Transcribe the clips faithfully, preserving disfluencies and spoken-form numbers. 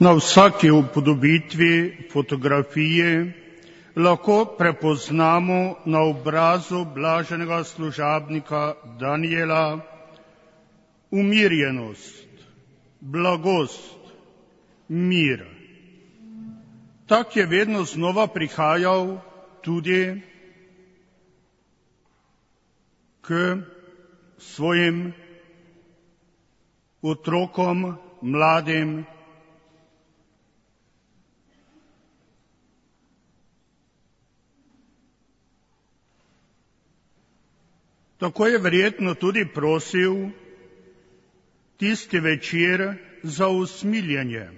Na vsaki upodobitvi fotografije lahko prepoznamo na obrazu blaženega služabnika Danijela umirjenost, blagost, mir. Tak je vedno znova prihajal tudi k svojim otrokom, mladim. Tako je verjetno tudi prosil tisti večer za usmiljenje.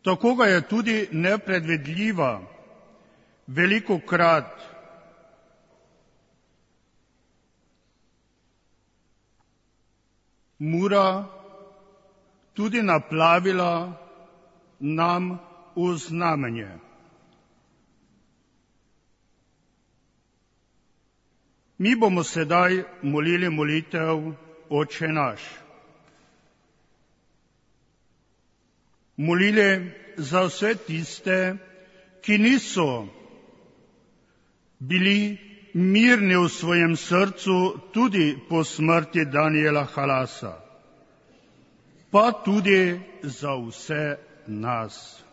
Tako ga je tudi nepredvidljiva, velikokrat Mura tudi naplavila nam v znamenje. Mi bomo sedaj molili molitev Oče naš. Molili za vse tiste, ki niso bili mirni v svojem srcu tudi po smrti Danijela Halasa, pa tudi za vse nas.